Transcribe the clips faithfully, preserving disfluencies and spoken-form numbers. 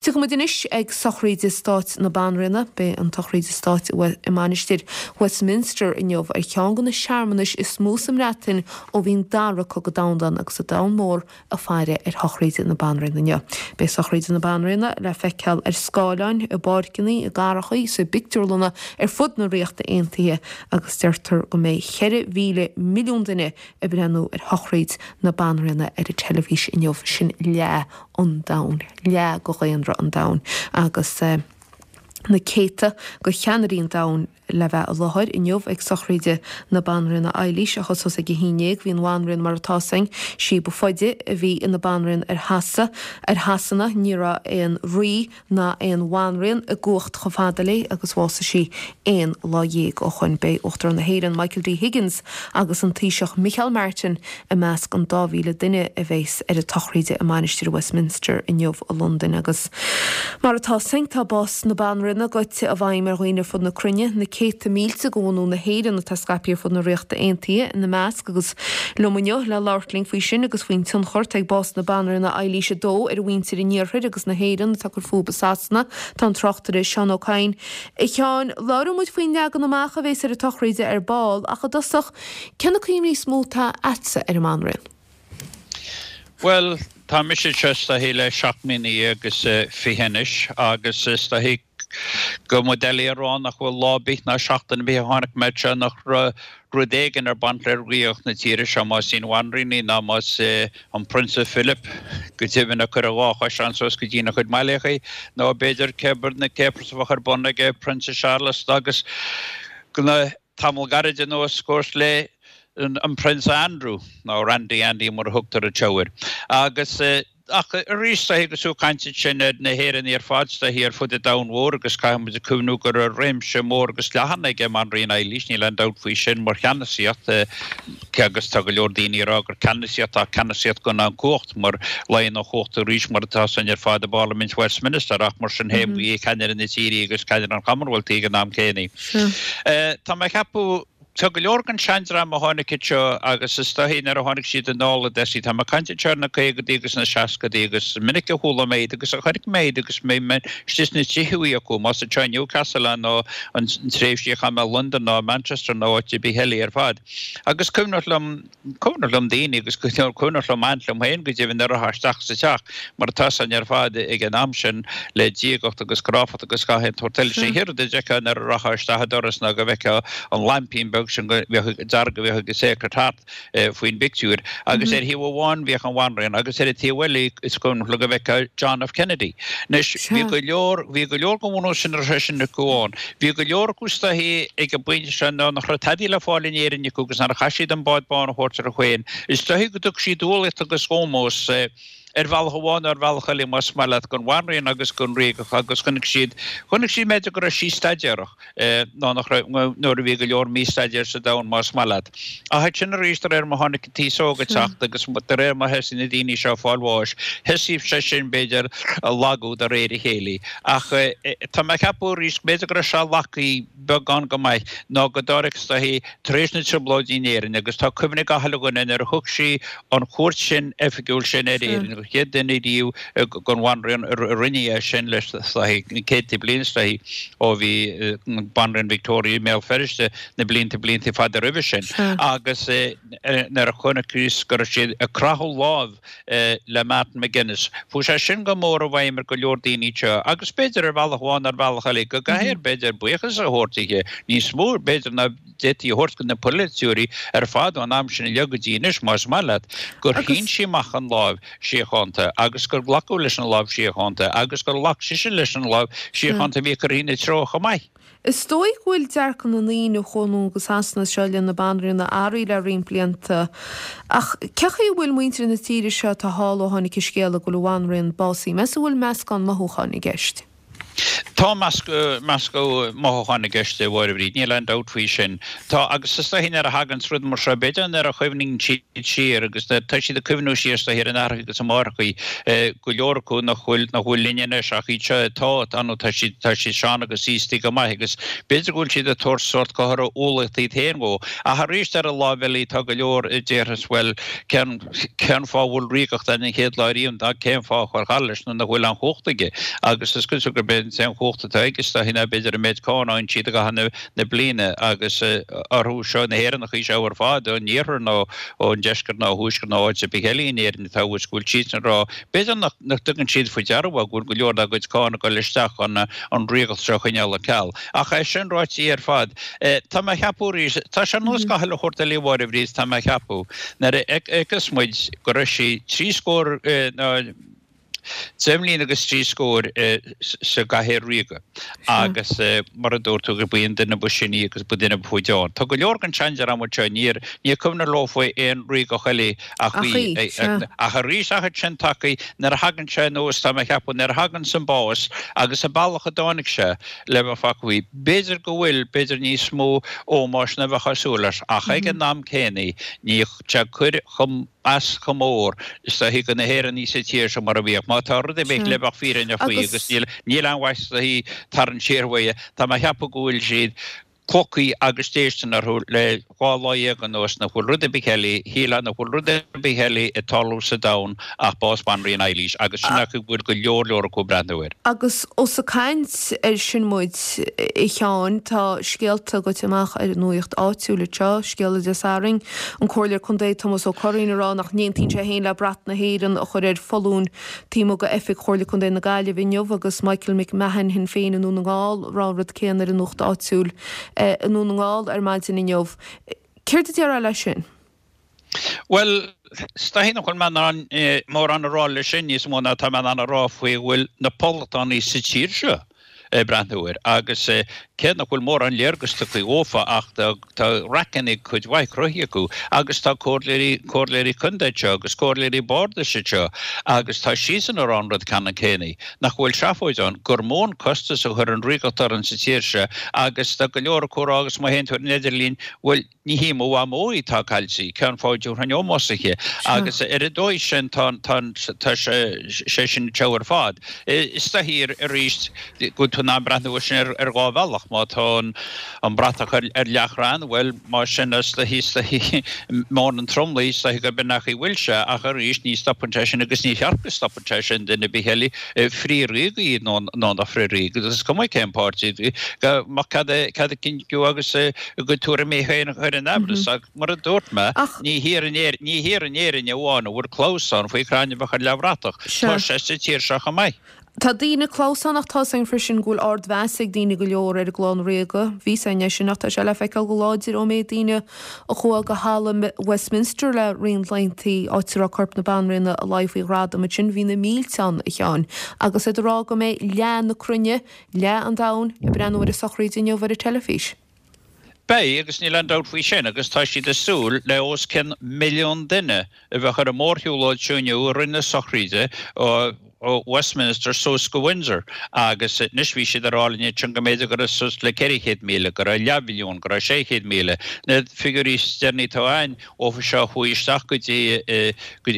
Tiocfaidh muid anois ag sochraid stáit na Banríona. Beidh an tsochraid stáit i Mainistir Westminster inniu ar cheann de na searmanais is mó sa mBreatain ó bhí an dara cogadh domhanda ann agus an domhan mór ag faire ar shochraid na Banríona inniu. Beidh sochraid na Banríona le feiceáil ar scáileáin, i bpáirceanna, i gcathracha, is i bpictiúrlanna ar fud na Ríochta Aontaithe agus deirtear go mbeidh ceithre mhíle milliún duine ag breathnú ar shochraid na Banríona ar an teilifís inniu, sin leath an domhain, leath de dhaonra an domhain agus na céadta de cheannairí an domhain le bheith i láthair inniu ag sochraid na Banríona Eilís a thosós ag a haon déag. Bhí an Bhanríon mar atá 'fhios againn, sí ba faide a bhí ina banríon ar Shasa, ar Shasana, ní raibh aon rí ná aon bhanríon i gcumhacht chomh fada léi agus bhásaigh sí aon lá dhéag ó shoin. Beidh Uachtarán na hÉireann Michael D Higgins agus an Taoiseach Micheál Martin i measc an dá mhíle duine a bheas ar an tsochraid i Mainistir Westminster inniu i Londain agus mar atá 'fhios againn tá bás na Banríona gaibhte i bhfeidhm ar dhaoine ar fud na cruinne, na céadta mílte de bhunadh na hÉireann atá scaipthe ar fud na Ríochta Aontaithe ina measc agus liom inniu le labhairt linn faoi sin agus faoin tionchar atá ag bás na Banríona Eilís a Dó ar mhuintir an Iarthair agus na hÉireann atá ag cur fúthu i Sasana, tá an tráchtaire Seán Ó Cadhain. A Sheáin, labhróidh muid faoin leagan amach a bheas ar an tsochraid ar ball ach i dtosach, cé na cuimhní is mó atá agatsa ar an mBanríon? Bhuel, tá mise anseo is dóichí le seacht mbliana dhéag is fiche anois agus is dóichí go mba doiligh a rá nach bhfuil lá ar bith ná seachtain ar bith a tháinig mé anseo nach raibh rud éigin ar baint le ríocht na tíre seo, más í an Bhanríon í ná más é an Prionsa Philip, go deimhin, a chuir a dhá choiseán suas go dtína chuid maileachaí, nó b'fhéidir cé na capers a bheadh ar bun ag Prionsa Charles agus le tamall gairid anuas, of course, le an Prionsa Andrew, nó Randy Andy mar a thugtar anseo air. Agus. Ach arís, is dóichí agus tú ag caint ansin ar na hÉireannaigh ar fad, is dóichí ar fud an domhain mhóir agus caithfidh muid cuimhniú go raibh réimse mór agus leathan ag an mBanríon Eilís, níl aon dabht faoi sin, mar cheannasaíocht, agus tá go leor daoine ag rá gur ceannasaíocht ach ceannasaíocht gan aon chumhacht, mar luíonn an chumhacht arís mar atá 'fhios againn ar fad i bParlaimint Westminster ach mar sin féin ba í ceannaire na tíre agus ceannaire an Chommonwealth í ag an am céanna. Tá mé ag ceapadh. Tá go leor den seandream a tháinig anseo agus is dóichí nuair a tháinig siad anall a Dessie, tá mé ag caint anseo ar na caogaidí agus na seascaidí agus is minic a chuala mé iad agus a chonaic mé iad agus mé istigh sna tithe acu, más anseo i Newcastle é nó an tréimhsí a chaith mé i Londain nó Manchester nó áit ar bith eile ar fad. Agus cuimhneach liom, Cuimhneach liom daoine agus cuimhneach liom aint liom féin go deimhin nuair a rachfá isteach sa teach mar atá 'fhios againn ar fad ag an am sin le diagacht agus cráifeacht agus gach aon tsórt eile. Sé an chéad rud a d'fheicfeá nuair a rachfá isteach an doras ná go bhfeicfeá an laimpín beag sin go bheadh dearg a bheadh ag an Sacred Heart faoin bpictiúr agus ar thaobh amháin bhíodh an Bhanríon agus ar an taobh eile is cuimhneach liom go bhfeicfeá John F Kennedy. Anois bhí go leor bhí go leor den bhunús sin a raibh sé sin acu ann. Bhí go leor acu is dóichí ag an bpointe seo ná nach raibh tadaí le fáil in Éirinn acu agus nuair a chaith siad an bád bán a thabhairt orthu féin. Is dóichí go dtug siad umhlaíocht agus ómós, ar bhealach amháin nó ar bhealach eile, más maith leat, don Bhanríon agus don Ríogach agus chonaic siad, chonaic siad b'fhéidir go raibh sí staidéarach, ná nach raibh, nuair a bhí go leor místaidéir sa domhan, más maith leat. Ach ansin arís, de réir mar tháinig an t-aos óg ag teacht agus de réir mar thosaigh na daoine seo ag fáil bháis, thosaigh sé sin, b'fhéidir, a lagú de réir a chéile. Ach tá mé ag ceapadh arís, b'fhéidir go raibh sé lagaithe beagán go maith, ná go dtáinig is dóichí, tar éis na dTrioblóidí in Éirinn, agus tá cuimhne ag gach uile dhuine nuair a thug sí an chuairt sin oifigiúil sin ar Éirinn, an chéad duine riamh den Bhanríon a rinne é sin le is dóichí, céadta bliain is dóichí, ó bhí Banríon Victoria i mBéal Feirste na blianta blianta fada roimhe sin. Agus nuair a chonacthas go raibh siad ag croitheadh lámh le Martin McGuinness. Chuaigh sé sin go mór i bhfeidhm ar go leor daoine anseo agus b'fhéidir ar bhealach amháin nó ar bhealach eile go gcaithfear b'fhéidir buíochas a thabhairt dithe, níos mó b'fhéidir ná d'fhéadfaí a thabhairt do na polaiteoirí ar fad ón am sin i leith go dtí anois, más maith leat, gur shín sí amach an lámh síochánta agus gur glacadh leis an lámh síochánta agus gur ghlac sise leis an lámh síochánta a bhí curtha ina treo chomh maith. Is dóigh go bhfuil dearcadh na ndaoine a chuaigh anonn go Sasana seo i leith na Banríona athraithe le roinnt blianta. Ach cé chaoi a bhfuil muintir na tíre seo atá thall ó tháinig an scéala go bhfuil an Bhanríon básaithe? Meas tú an bhfuil meascán mothúcháin i gceist? Tá meascadh mothúchán i gceist, a Mháire Bhríd, níl aon dabht faoi sin. Tá, agus is dóichí nuair a thaganns rud mar seo, b'fhéidir nuair a chuimhníonn siad siar agus tá siad ag cuimhniú siar is dóichí ar a n-aithreacha agus a máithreacha, go leor acu nach bhfuil, nach bhfuil linn anois ach iad seo atá, tá nó tá siad, tá siad sean agus aosta go maith agus b'fhéidir go bhfuil siad ag tabhairt sórt comhartha umhlaíochta iad féin dhó. Ach arís ar an láimh eile tá go leor a déarfas bhuel cén, cén fáth a bhfuil ríogacht ann an chéad lá riamh ná cén fáth a chur thar leis nuair nach bhfuil aon chumhacht aige agus is cosúil gurb é an t-aon chumhacht atá aige is dóichí ná b'fhéidir an méid cáin a fhaigheann siad i gcaitheamh na bliana agus orthu seo na hÉireannachaí seo ar fad ón iarthar nó ón deisceart nó ó thuaisceart nó áit ar bith eile in Éirinn atá thuas go bhfuil siadsan ag rá b'fhéidir nach dtuigeann siad faoi deara go bhfuil go leor dá gcuid cáin ag dul isteach chun an ríogacht seo a choinneáil ar ceal. Ach é sin ráite ar fad, tá mé a cheapadh arís, tá sé ar nós gach uile shórt eile a Mháire Bhríd, tá mé a cheapadh, nuair a fheiceas muid go raibh sí trí scór nó deich mbliana agus trí scór sa gcathaoir ríoga agus mar a dúirt tú gurb í an duine ba sine agus ba duine ba faide ann. Tá go leor den tseandream anseo, níor níor cuimhin leo faoi aon ríogacht eile ach í. Ach arís ach sin tacaí nuair a thagann sé anuas tá mé a cheapadh nuair a thagann an bás agus an bealach a dtáinig sé le bheith fágtha faoi. B'fhéidir go bhfuil, b'fhéidir níos mó ómóis ná bheadh ag súil leis, ach ag an am céanna ní sé cur chomh as chomh mór is dóichí do na hÉireannaigh sa tír seo mar a bhíodh. Má tá rud ar bith le bheith fírinneach faoi agus níl níl aon mhaith is dóichí tarraingt siar uaidh, tá mé a cheapadh go bhfuil siad clocaí agus déistin orthu le dhá lá dhéag anuas nach bhfuil rud ar bith eile, shílfeá nach bhfuil rud ar bith eile ag tarlú sa domhan ach bás Bhanríon Eilís agus sin é go bhfuil go leor leor acu ag breathnú air. Agus ós ag caint air sin muid, a Sheáin, tá scéalta goite amach ar an nuaíocht áitiúil anseo, scéala Dé Sathairn, an Comhairleoir Contae Tomás Ó Curraoin ag rá nach n-aontaíonn sé féin le brat na hÉireann a chur ar foluain taobh amuigh d'oifig Chomhairle Contae na Gaillimhe inniu agus Michael McMahon Shinn Féin i nDún na nGall ag rá an rud céanna ar an nuacht áitiúil i nDún na nGall ar maidin inniu. Céard a déarfá leis sin? Bhuel, is dóichí nach bhfuil mé in ann mórán a rá leis sin níos mó ná tá mé in ann a rá faoi go bhfuil na poblachtánaigh sa tír seo ag breathnú air agus cé nach bhfuil mórán léargas tugtha dhófa ach tá raiceanna cuid mhaith cruthaithe acu agus tá comhairleoirí, comhairleoirí contae anseo agus comhairleoirí bardais anseo agus tá siadsan ag rá an rud ceannann céanna, nach bhfuil seafóid ann, gur mó an costas a chuir an ríogacht orainn sa tír seo agus tá go leor acu ag rá agus má théann tú ar an idirlíon, bhuel, ní hí mo mhamó í atá caillte, cén fáth a dtabharfainn ómós di? Agus ar an dóigh sin tá, tá, tá sé sin anseo ar fad. Is dóichí arís go bhfuil tú in ann breathnú air sin ar dhá bhealach. Má tá an bratach ar leathchrann, bhuel, más sin is dóichí, is dóichí meon an tromlaigh, is dóichí gurb in an chaoi a bhfuil sé, ach arís ní stopann sé sin agus ní cheart go stopann sé sin duine ar bith eile frith-ríoga nó nó nach frith-ríoga, is cuma cén páirtí, go mbeadh cead cead a gcinntiú agus a gcuid tuairimí féin a chur in aimhleas. Ach mar a dúirt mé, ní thiar in Éirinn, ní thiar in Éirinn amháin a bhfuil clamhsán faoi chrainn a bheadh ar leathbhratach, tá sé sa tír seo chomh maith. Tá daoine clamhsán ach tá's againn freisin go bhfuil ardmheas ag daoine go leor ar an gclann ríoga. Bhí 's againn é sin ach tá sé le feiceáil go láidir ón méid daoine a chuaigh go halla Westminster le roinnt laethanta, áit a raibh corp na Banríona ag luí faoi ghradam ansin. Bhí na mílte ann, a Sheáin, agus iad ag rá go mbeidh leath na cruinne, leath an domhain, ag breathnú ar an sochraíd inniu ar an teilifís. Beidh, agus níl aon dabht faoi sin, agus tá siad ag súil le os cionn milliún duine a bheadh ar an mórshiúlóid seo inniu i rith na sochraíde ó Westminster suas go Windsor agus anois bhí siad ag rá linn ansin go mb'fhéidir go raibh suas le ceithre chéad míle, go raibh leathmhilliún, go raibh sé chéad míle. Na figiúirí is deireanaí atá againn ófa seo a chuaigh isteach go dtí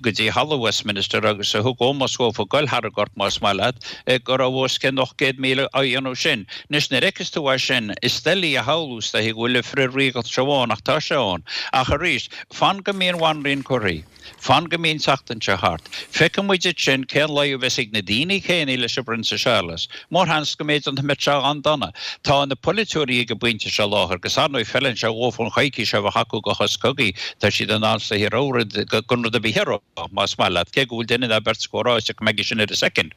go dtí Halla Westminster agus a thug ómós dhófa ag goil thar an gcorp más maith leat, go raibh os cionn ocht gcéad míle á dhéanamh sin. Anois nuair a fheiceas tú é sin, is doiligh a shamhlú is dóichí go bhfuil an frith-ríogacht seo ann ach tá sé ann. Ach arís, fan go mbíonn an Bhanríon curtha. Fan go mbíonn seachtain seo thart. Feicfidh muid ansin cén luí a bheas ag na daoine céanna leis an bPrionsa Séarlas. Mórsheans go mb'fhéidir nach mbeadh sé an-dona. Tá na polaiteoirí ag an bpointe seo láthair, agus ar ndóigh feileann sé dhófa an choicís seo a bheith acu do shos cogaidh, tá siad in ann is dóichí rud gan rud ar bith a rá, más maith leat, cé go bhfuil duine ná beirt acu ag rá go mbeidh sin ar a soicind.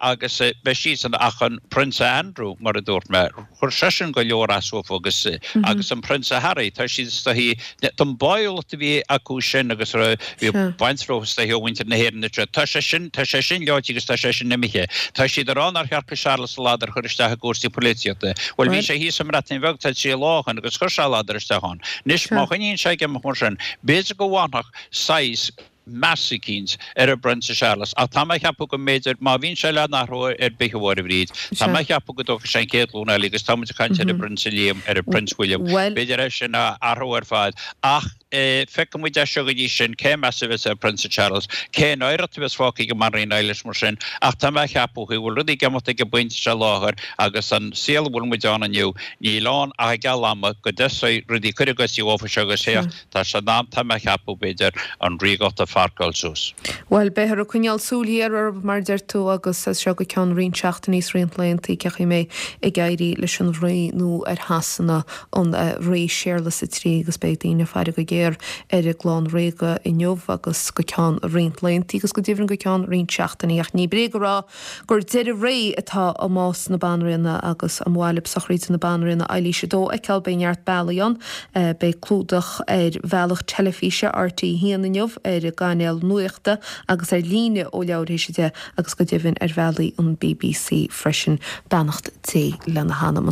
Agus beidh siadsan, ach an Prionsa Andrew, mar a dúirt mé, chuir seisean go leor as dhófa agus agus an Prionsa Harry, tá siad is dóichí, don báúlacht a bhí acu sin agus a bhí baint leo is dóichí ó mhuintir na hÉireann anseo, tá sé sin, tá sé sin leáite agus tá sé sin imithe. Tá siad ag rá nár cheart do Séarlas a ladar a chur isteach i gcúrsaí polaitíochta. Bhuel, bhí sé thíos sa mBreatain Bheag tá trí lá ó shin agus chuir sé a ladar isteach ann. Anois, má choinníonn sé ag imeacht mar sin, b'fhéidir go bhfanfadh saghas, meas eicínt ar an bPrionsa Séarlas. Ach tá mé a cheapadh go mb'fhéidir, má bhíonn sé le n-athrú ar bith, a Mháire Bhríd, tá mé a cheapadh go dtógfaidh sé an chéad ghlúin eile agus tá muid ag caint ar an bPrionsa Liam, ar an Prince William, b'fhéidir é sin a athrú ar fad. Ach feicfidh muid é seo go dtí sin, cén meas a bheas ar Phrionsa Charles, cén oidhreacht a bheas fágtha ag an mBanríon Eilís mar sin. Ach tá mé a cheapadh go bhfuil rudaí ag imeacht ag an bpointe seo láthair agus an saol a bhfuil muid ann inniu, níl ann ach i gceal ama go dtosóidh rudaí cur a gcosa dhófa seo agus féach, tá sé in am, tá mé a cheapadh, b'fhéidir, an ríogacht a pharcáil suas. Bhuel, beifear ag coinneáil súil ghéar orthu, mar a deir tú, agus as seo go ceann roinnt seachtainí is roinnt laethanta, cén chaoi a mbeidh ag éirí leis an Rí nua ar Shasana, an Rí Séarlas a Trí, agus beidh daoine ag faire go géar ar an gclann ríoga inniu agus go ceann roinnt laethanta agus go deimhin go ceann roinnt seachtainí. Ach ní bréag a rá gur deireadh ré atá i mbás na Banríona agus ar mhaith libh sochraid na Banríona Eilís a Dó a fheiceáil beidh neart bealaí ann. Beidh clúdach ar bhealach teilifíse RTÉ a haon inniu, ar an gcainéal nuachta agus ar líne ó leathuair théis a deich agus go deimhin ar bhealaí an bbc freisin. Beannacht Dé lena hanam.